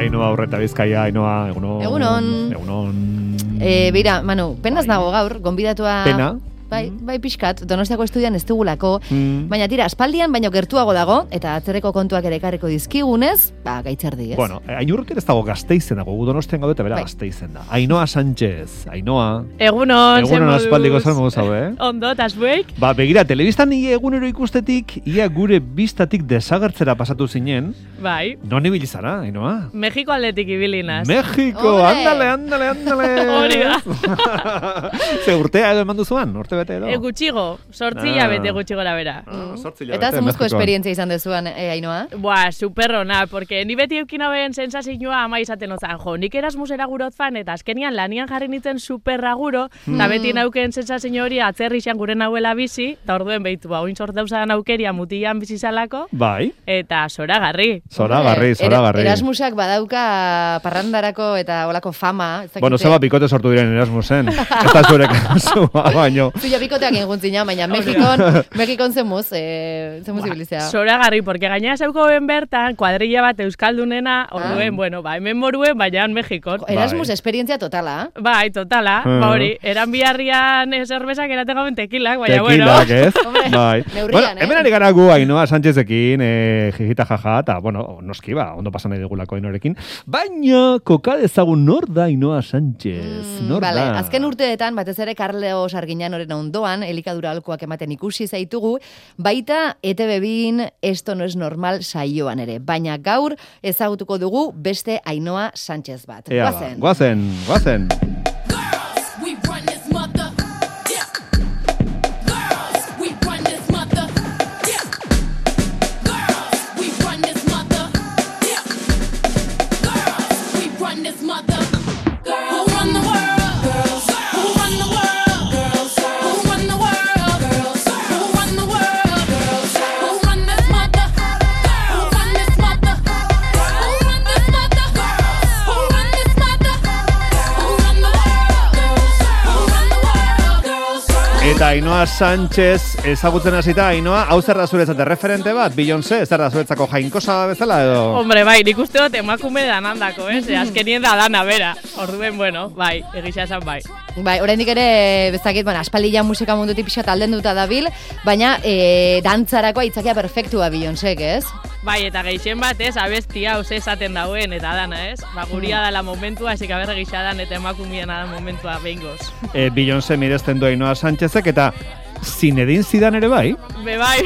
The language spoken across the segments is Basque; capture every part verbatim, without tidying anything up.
Ainoa Urreta Bizkaia, Ainoa, egunon. Egunon. Egunon. Eh, Beira, Manu, penaz nago gaur, gonbidatua... Pena? Bai, bai pixkat, Donostiako estudian ez dugulako, Mm. baina tira, aspaldian baino gertuago dago, eta atzerreko kontuak ere ekarriko dizkigunez, ba, gaitzerdi, ez? Bueno, Ainurrek ez dago Gasteizen dago, gu Donostian gaude eta bera Bai. Gasteizen da. Ainoa Sánchez, Ainoa. Egunon, zer Egunon moduz? aspaldiko zer moduz hau, eh? Ondo, tas buek? Ba, begira, telebistan nire egunero ikustetik, ia gure bistatik desagertzera pasatu zinen, Bai. non ibili zara, Ainoa? Mexiko aldetik ibilinaz. Mexiko, Ole! andale, andale, andale. Hori da. Ze urtea edo eman duzuan, urte bete edo? E, gutxigo, sortzi Ah. bete gutxi gora bera. Ah, zortzi Eta hilabete, zemuzko Mexikoan. esperientzia izan dezuan, eh, Ainoa? Buah, superrona, porque ni beti eukin hauen sensazioa ama izaten ozan, jo, nik Erasmusera gurot fan, eta azkenian lanian jarri nintzen superraguro, eta beti nauken sensazio hori atzerrixan gure nauela bizi, eta orduen behitu, ba, oin sort dauzadan aukeria mutilan bizizalako, Bai, eta zoragarri. zoragarri, Hombre, zoragarri. Era- Erasmusak badauka parrandarako eta olako fama. ez dakite. Bueno, zeba bikote sortu diren Erasmusen. Ez da zure kasua, baino. Zuia bikoteak inguntzina, baina Mexikon, Mexikon zemuz, eh, zemuz ibilizea. Zoragarri, porque gaina zeuko ben bertan, kuadrilla bat euskaldunena, orduen, Ah. bueno, ba, hemen moruen, baina Mexikon. Erasmus Bai. esperientzia totala. Bai, totala, Ah. ba hori, eran biharrian zerbezak eraten gaben tekilak, baina bueno. Tekilak, ez? Hombre, Bai. neurrian, Bueno, eh? hemen ari gara gu Ainoa Sánchezekin, eh, jijita jaja, eta, bueno, noski ba, ondo pasan nahi dugulako Ainoarekin. Baina, koka dezagun nor da Ainoa Sánchez? Nor Vale, da? azken urteetan, batez ere Carlos Arguiñanoren ondoan, elikadura alkoak ematen ikusi zaitugu, baita E T B bin Esto no es normal saioan ere. Baina gaur ezagutuko dugu beste Ainoa Sánchez bat. Ea ba, Goazen. guazen, guazen. We run this mother. Yeah. Girls, we run this mother. Yeah. Girls, we run this mother. Yeah. Girls, we run this mother. Girls, who run the world? Girls, who run the world? Girls, who run the world? Girls, who run the world? Girls, who run this mother? Who run this mother? Who run this mother? Who run this mother? Who run the world? Girls, who run the world? Girls, Eta Ainoa Sánchez ezagutzen hasita, Ainoa, hau zer da zuretzat referente bat, Beyoncé, zer da zuretzako jainkosa bezala edo? Hombre, bai, nik uste dut emakume danandako, ez? Eh? Azkenien da dana bera. Orduen, bueno, bai, egisa esan bai. Bai, oraindik ere, bezakit, bueno, aspaldia musika mundutik pixat aldenduta dabil, baina e, dantzarako aitzakia perfektua Beyoncék, ez? Bai, eta geixen bat, ez, abestia hau ze esaten dauen, eta dana, ez? Ba, guria dala momentua, esik aberre gisa dan, eta emakumien da momentua behingoz. E, Beyoncé miresten du Ainoa Sánchezek, eta Zinedine Zidane ere bai? Be, bai.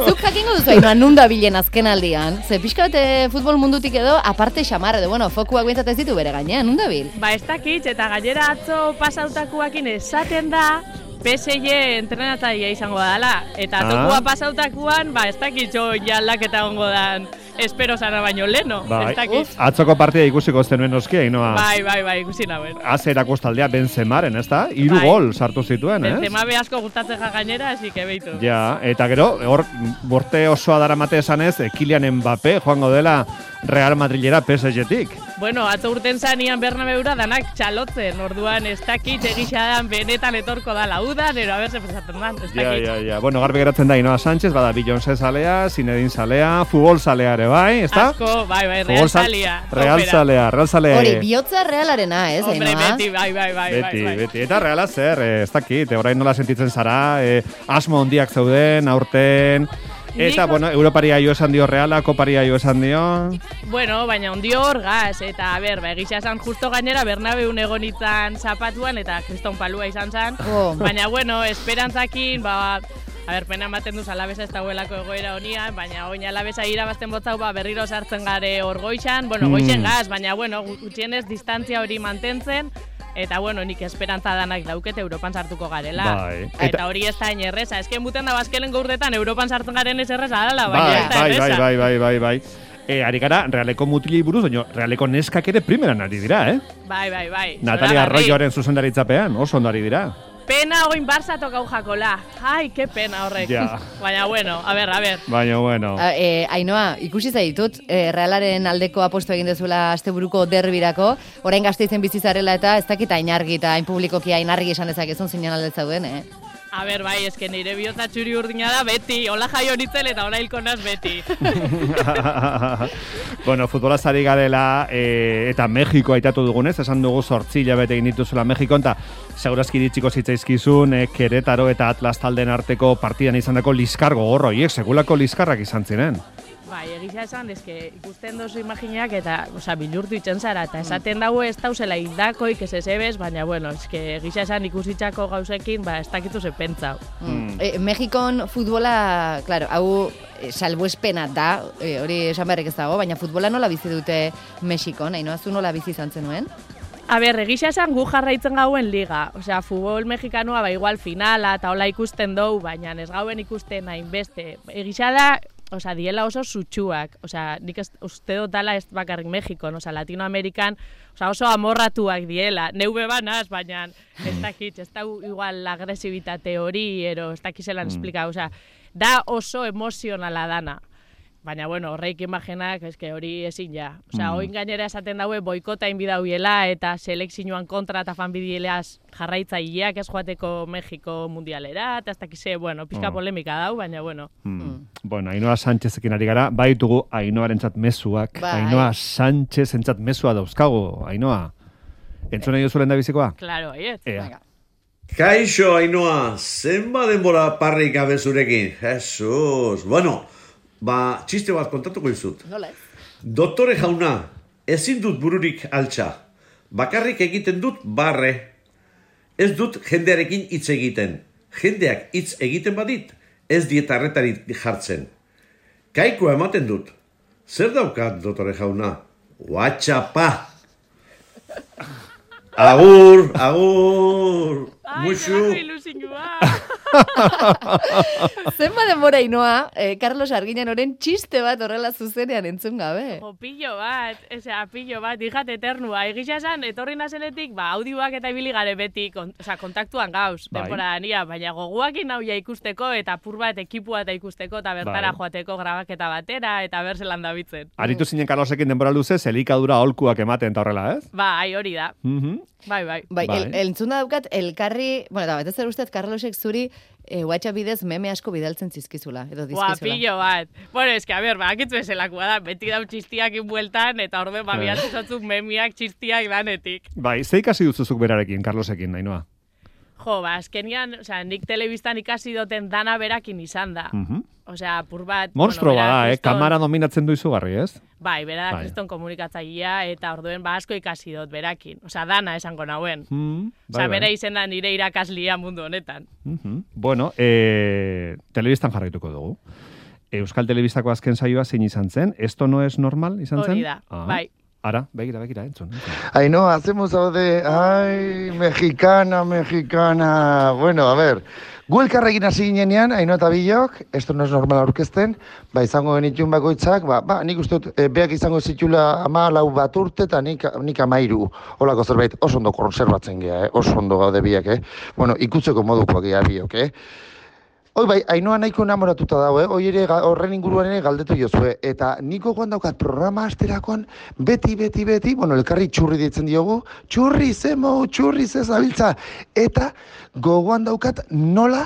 Zuk jakingo duzu Ainoa nun dabilen azken aldian? Ze pixka bat eh, futbol mundutik edo aparte xamar, edo bueno, fokuak bintzat ez ditu bere gainean, nun dabil? Ba, ez dakit, eta gainera atzo pasautakuakin esaten da, P S G entrenatzailea izango dela. Eta Ah. tokua pasautakuan, ba, ez dakit jo jaldaketa ongo dan, espero zara baino leno. Bai. Ez dakit. Atzoko partida ikusiko zenuen noski, Ainoa. Bai, bai, bai, ikusi nauen. Azerako taldea Benzemaren, ez da? Hiru Bai. gol sartu zituen, ez? Benzema be asko gustatzen ja gainera, así que beitu. Ja, eta gero, hor, borte osoa daramate esanez, eh, Kylian Mbappé joango dela Real Madrilera P S G-tik. Bueno, atzo urten zanian Bernabeura danak txalotzen, orduan ez dakit egisa dan benetan etorko da laudan, ero haber zepesatzen dan, ez Ja, dakit. ja, ja. Bueno, garbi geratzen da Ainoa Sánchez, bada Beyoncé zalea, Zinedine zalea, futbol zalea ere bai, ez da? Asko, bai, bai, Futbol Real zal- Salia. Real topera. zalea, Real zalea. Hori, bihotza realarena, ez, Hombre, Ainoa? beti, bai, bai, bai, Beti, bai, bai. beti. Eta reala zer, eh, ez dakit, eh, orain nola sentitzen zara, eh, asmo handiak zeuden, aurten, eta, Nik- bueno, Europaria jo esan dio Reala, Koparia jo esan dio. Bueno, baina ondio hor gaz, eta, a ber, ba, egisa esan justo gainera Bernabeun egonitzan zapatuan, eta kriston palua izan zan. Oh. Baina, bueno, esperantzakin, ba, a ber, pena ematen duz alabesa ez dagoelako egoera honian, baina oin alabesa irabazten botzau, ba, berriro sartzen gare hor goixan, bueno, Mm. goixen gaz, baina, bueno, gutxienez distantzia hori mantentzen, eta, bueno, nik esperantza danak dauket Europan sartuko garela. Bai. Eta, Eta- hori ez da inerreza, esken buten da bazkelen gaurretan Europan sartzen garen ez erreza dala, baina Bai, ez da bai, erreza. bai, bai, bai, bai, bai. E, ari gara, Realeko mutilei buruz, baina Realeko neskak ere primeran ari dira, eh? Bai, bai, bai. Natalia Zoragarri. Arroyoaren zuzendaritzapean, oso ondo ari dira. Pena oin Barça tokau jakola. Ai, ke pena horrek. Ja. Baina, bueno, a ber, a ber. Baina, bueno. A, e, Ainoa, ikusi zaitut, e, Realaren aldeko aposto egin dezula asteburuko derbirako, orain Gasteizen bizi zarela eta ez dakit hain argi eta hain publikoki hain argi esan dezakezun zinean alde zauden, eh? A ber, bai, eske nire bihotza txuri urdina da beti, hola jaio nintzen eta hola hilko naz beti. Bueno, futbolaz ari garela, e, eta Mexiko aitatu dugunez, esan dugu zortzi hilabete egin dituzula Mexikon, eta segurazki iritsiko zitzaizkizun, e, Querétaro eta Atlas talden arteko partidan izandako liskargo gorro, hiek segulako liskarrak izan ziren. Bai, egisa esan, eske ikusten dozu imaginak eta, osea, bilurtu itzen zara, eta esaten dago ez dauzela hildakoik ez ezebez, baina, bueno, eske egisa esan ikusitzako gauzekin, ba, ez dakitu ze pentsau. Mm. E, Mexikon futbola, claro, hau e, salbuespena da, e, hori esan beharrik ez dago, baina futbola nola bizi dute Mexikon, Ainhoa, zu nola bizi izan zenuen? A ber, egisa esan gu jarraitzen gauen liga. Osea, futbol mexikanoa ba igual finala eta hola ikusten dugu, baina ez gauen ikusten hainbeste. Egisa da, osea, diela oso sutsuak. Osea, nik ez, uste dut dala ez bakarrik Mexikon, osea, Latinoamerikan, osea, oso amorratuak diela. Neube banaz, baina ez dakit, ez da igual agresibitate hori, ero ez dakizelan mm. esplika, osea, da oso emozionala dana. Baina, bueno, horreik imaginak, eske hori ezin ja. Osea, mm. oin gainera esaten daue boikota inbidauiela eta selekzioan kontra eta fanbidieleaz jarraitzaileak ez joateko Mexiko mundialera, eta ez dakize, bueno, pizka oh. polemika dau, baina, bueno. Mm. Mm. Bueno, Ainhoa Sánchezekin ari gara, baitugu Ainhoarentzat mezuak. Bai. Ainhoa Sánchezentzat mezua dauzkagu, Ainhoa. Entzuna jo zuen da bizikoa? Claro, aiet. Ea. Kaixo, Ainhoa, zenba denbora parrik gabe zurekin? Jesus, bueno, ba, txiste bat kontatuko izut. Nola ez? Doktore jauna, ezin dut bururik altxa. Bakarrik egiten dut barre. Ez dut jendearekin hitz egiten. Jendeak hitz egiten badit, ez dieta arretarik jartzen. Kaikoa ematen dut. Zer daukat, doktore jauna? Whatsaappa! Agur, agur, musu. Ai, ilusinua. Zenba denbora Ainhoa, eh, Carlos Arguiñanoren txiste bat horrela zuzenean entzun gabe. Jo, pillo bat, osea, pillo bat, hijat eternua. Egisa esan, etorri nazenetik, ba, audioak eta ibili gare beti, kon, osea, kontaktuan gauz, bai. denbora nia, baina goguakin nauia ikusteko, eta pur bat ekipua eta ikusteko, eta bertara bai. joateko grabaketa batera, eta berzelan dabitzen. Aritu zinen Carlosekin denbora luzez, elikadura aholkuak ematen eta horrela, ez? Ba, ai, hori da. Mhm. Bai, bai. Bai, Bai. el, entzuna daukat, elkarri, bueno, da, betez zer ustez, Carlosek zuri e, WhatsApp bidez meme asko bidaltzen zizkizula, edo Buah, dizkizula. pillo bat. Bueno, eske, a ber, ba, akitzu eselakoa da, beti dau txistiak inbueltan, eta orde, ba, Eh. biatu zatzuk memiak txistiak danetik. Bai, ze ikasi duzuzuk berarekin, Carlosekin, Ainhoa? Jo, ba, azkenian, osea, nik telebistan ikasi duten dana berakin izan da. Mhm. Osea, pur bat... Monstro bueno, bera bada, eh? kriston- Kamara dominatzen du izugarri, ez? Bai, bera da Bai. kriston komunikatzailea, eta orduen ba asko ikasi dut berakin. Osea, dana esango nauen. Mm, Osea, bera izen da nire irakaslia mundu honetan. Mhm. Bueno, e, telebistan jarraituko dugu. Euskal Telebistako azken saioa zein izan zen? Esto no es normal izan zen? Hori da, Ah. bai. Ara, begira, begira, entzun. entzun. Ainhoa, hacemos de... Ay, mexicana, mexicana... Bueno, a ver... Gu elkarrekin hasi ginenean, Ainhoa eta Bilok, esto no es normal aurkezten, ba, izango genitun bakoitzak, ba, ba, nik uste dut, e, beak izango zitula ama lau bat urte, eta nik, nik amairu, holako zerbait, oso ondo konserbatzen gea, eh? Oso ondo gaude biak, eh? Bueno, ikutzeko modukoak gea Bilok, eh? Hoi bai, Ainhoa nahiko enamoratuta dago, eh? Hoi ere, ga- horren inguruan ere galdetu jozue. Eta niko goan daukat programa asterakoan, beti, beti, beti, bueno, elkarri txurri ditzen diogu, txurri, zemo, txurri, zezabiltza. Eta gogoan daukat nola,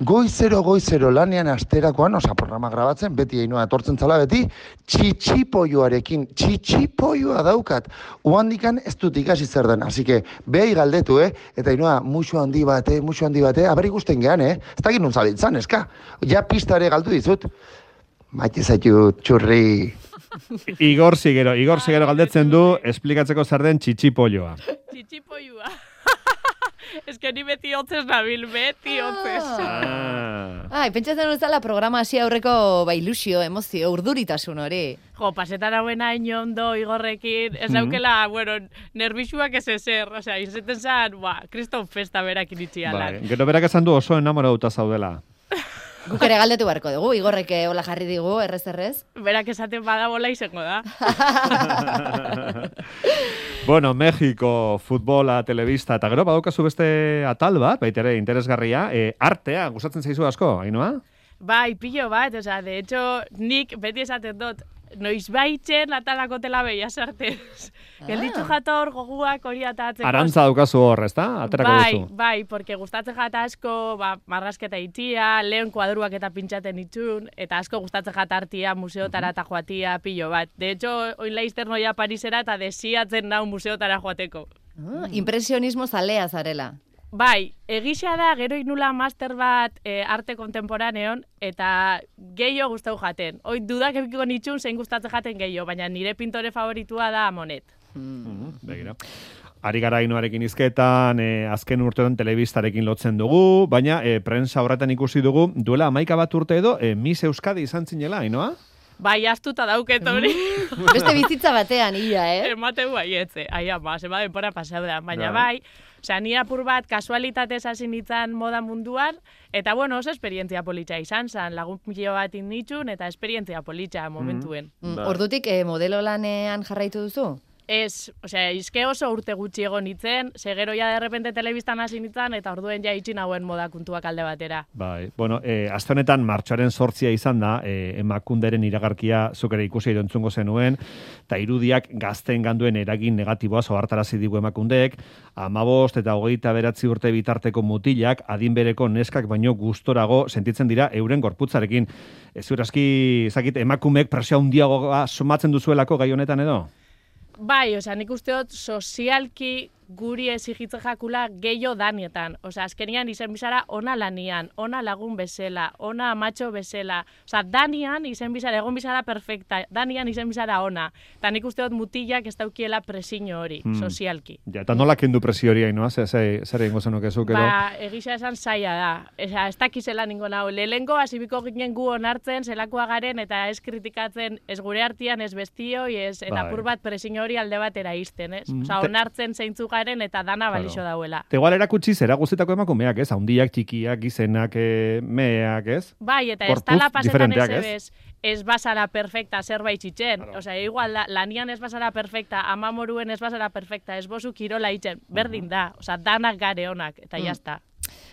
goizero, goizero lanean asterakoan, osa programa grabatzen, beti Ainhoa etortzen zala beti, txitxipoioarekin, txitxipoioa daukat. Uhandikan ez dut ikasi zer den, así que, behai galdetu, eh? Eta Ainhoa, musu handi bate, musu handi bate, aber ikusten gehan, eh? Ez dakit nun zabiltzan, eska? Ja pista ere galdu dizut. Maite zaitu, txurri. Igor Ziguero, Igor Ziguero galdetzen du, esplikatzeko zer den txitsipolloa. Txitxipoiua. Ez que ni beti hotzez nabil, beti hotzez. Ah. Ai, pentsatzen uzala programa hasi aurreko ba, ilusio, emozio, urduritasun hori. Jo, pasetan hauen hain ondo igorrekin, ez Mhm. daukela, bueno, nervisuak ez ezer, osea, izaten zan, ba, kriston festa berak iritsi Bai, alan. gero berak esan du oso enamoratuta zaudela. Guk ere galdetu beharko dugu, Igorrek hola jarri digu, errez errez. Berak esaten badabola izango da. Bueno, Mexiko, futbola, telebista, eta gero badaukazu beste atal bat, baita ere interesgarria, e, artea, gustatzen zaizu asko, Ainhoa? Bai, pillo bat, osea, de hecho, nik beti esaten dut, noiz baitzen atalako tela beia sartez. Gelditzu jator goguak hori atatzeko. Arantza daukazu hor, ezta? Aterako bai, duzu. bai, porque gustatzen jata asko, ba, marrasketa itia, lehen kuadruak eta pintxaten itxun, eta asko gustatzen jata artia, museotara eta joatia, pilo bat. De hecho, oin laizter noia Parisera eta desiatzen nau museotara joateko. Ah, impresionismo zalea zarela. Bai, egisa da, gero inula master bat e, arte kontemporaneon, eta gehiago gustau jaten. Hoi dudak ebikiko nitxun, zein gustatzen jaten gehiago, baina nire pintore favoritua da Monet. Mm, begira. Ari gara Ainoarekin hizketan, e, azken urtean telebistarekin lotzen dugu, baina e, prensa horretan ikusi dugu, duela hamaika bat urte edo, e, Miss Euskadi izan zinela, Ainoa? Bai, astuta dauket hori. Beste bizitza batean, ia, eh? Emateu baietze. Ai, ama, zema denpora pasau da. Baina bai, osea, ni apur bat kasualitatez hasi nintzen moda munduan, eta bueno, oso esperientzia politxa izan zan, lagun pilo bat innitxun, eta esperientzia politxa momentuen. Mm, ordutik eh, modelo lanean jarraitu duzu? Ez, osea, izke oso urte gutxi egon nitzen, segero ja derrepente telebistan hasi nintzen, eta orduen ja itxin hauen moda kuntuak alde batera. Bai, bueno, e, aste honetan martxoaren sortzia izan da, e, emakunderen iragarkia zuk ere ikusi erantzungo zenuen, eta irudiak gazteen ganduen eragin negatiboa zohartarazi digu emakundek, hamabost eta hogeita beratzi urte bitarteko mutilak, adin bereko neskak baino gustorago sentitzen dira euren gorputzarekin. Ez zurazki, zakit, emakumeek presio handiagoa somatzen duzuelako gai honetan edo? Bai, osea, nik uste dut sozialki guri exigitze jakula gehiago danietan. Osea, azkenian izen bizara ona lanian, ona lagun bezala, ona amatxo bezala. Osea, danian izen bizara, egon bizara perfecta, danian izen bizara ona. Eta nik uste dut mutilak ez daukiela presiño hori, Hmm. sozialki. Ja, eta nola kendu presio hori, Ainoa? Zer zer egingo zenuke zuk edo? Ba, egisa esan zaila da. Osea, ez dakizela ningo nau. Lehengo hasibiko ginen gu onartzen, zelakoa garen, eta ez kritikatzen, ez gure artian, ez bestioi, ez, eta Bai. apur bat presiño hori alde batera izten, ez? Mm, Osea, te- onartzen zeintzu garen, eta dana balixo Claro. dauela. Te igual erakutsi zera guztietako emakumeak, ez? Haundiak, txikiak, gizenak, e, meak, ez? Bai, eta ez Gorputz tala pasetan ez diferenteak, ez? ebez, ez basara perfecta zerbait txitzen. Osea, igual da, lanian ez basara perfecta, amamoruen ez basara perfecta, ez bozu kirola itxen, berdin da. Osea, danak gare onak, eta Mm. jazta.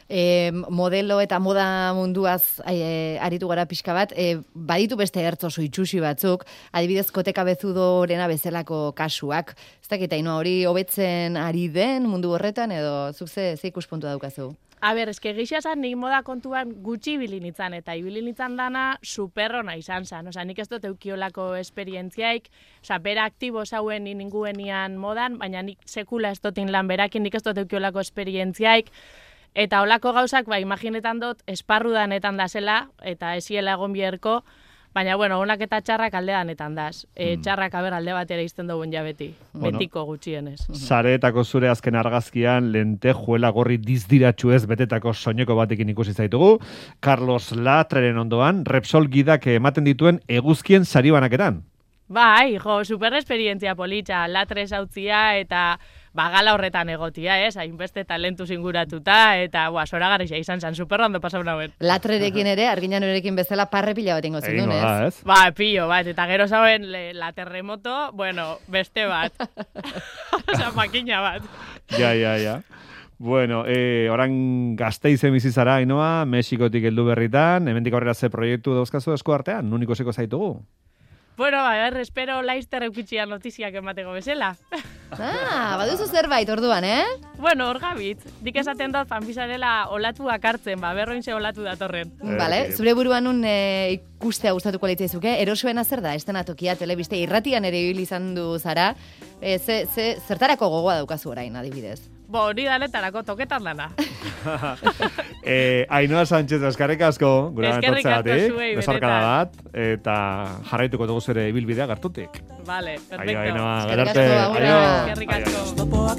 E, modelo eta moda munduaz e, aritu gara pixka bat, e, baditu beste ertz oso itxusi batzuk, adibidez koteka bezudorena bezalako kasuak. Ez dakit, Ainoa, hori hobetzen ari den mundu horretan, edo zuk ze, ze ikuspuntua daukazu? A ber, eske gisa zan, nik moda kontuan gutxi ibili nintzen, eta ibili nintzen dana superrona izan zan. Osea, nik ez dut eukiolako esperientziaik, osea, bera aktibo zauen ninguenian modan, baina nik sekula ez dotin lan berakin, nik ez dut eukiolako esperientziaik, eta olako gauzak, ba, imaginetan dut, esparrudanetan da zela, eta esiela egon bierko, baina, bueno, onak eta txarrak aldeanetan daz. E, txarrak aber alde batera izten dugun ja beti, Bueno. betiko gutxienez. Sareetako zure azken argazkian lentejuela gorri dizdiratxu ez betetako soineko batekin ikusi zaitugu. Carlos Latreren ondoan, Repsol gidak ematen dituen eguzkien sari banakeran. Bai, jo, super esperientzia politxa, latres hautzia eta bagala horretan egotia, ez? Hainbeste talentu zinguratuta eta, boa, zoragarria izan zen, super ondo pasau nauen. Latrerekin ere, arginanurekin bezala parre pila bat ingo Egingo zindun, da, ez? ez? Ba, pillo bat, eta gero zauen le, la terremoto, bueno, beste bat. Osa, makina bat. Ja, ja, ja. Bueno, eh, oran Gasteizen bizi zara, Ainoa, Mexikotik heldu berritan, hemendik aurrera ze proiektu dauzkazu esku artean, nun ikusiko zaitugu? Bueno, a ver, espero laizter eukitxia notiziak emateko bezala. Ah, baduzu zerbait orduan, eh? Bueno, hor gabitz, dik esaten dut fanbizarela olatuak hartzen, ba, berroin ze olatu datorren. Vale, Eh, zure buruan nun e, ikustea gustatuko litzaizuke, erosoena zer da, estenatokia, telebiste, irratian ere ibili izan du zara, e, ze, ze, zertarako gogoa daukazu orain, adibidez? Bo, hori danetarako toketan dana. Eh, Ainoa Sánchez, eskerrik asko, gure Eskerrik asko etortzeagatik, zuei, besarkada benetan. bat, eta jarraituko dugu zure ibilbidea gertutik. Vale, Aio, perfecto. Ainoa, Eskerrik gerarte. asko, agurra. Aio. Eskerrik Aio. asko.